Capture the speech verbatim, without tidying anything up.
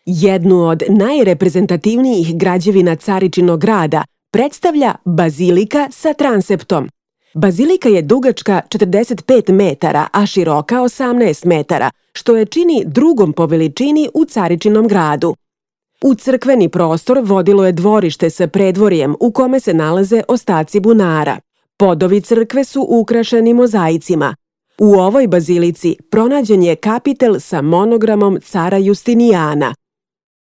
Jednu od najreprezentativnijih građevina Caričinog grada predstavlja bazilika sa transeptom. Bazilika je dugačka četrdeset pet metara, a široka osamnaest metara, što je čini drugom po veličini u Caričinom gradu. U crkveni prostor vodilo je dvorište sa predvorjem u kome se nalaze ostaci bunara. Podovi crkve su ukrašeni mozaicima. U ovoj bazilici pronađen je kapitel sa monogramom cara Justinijana.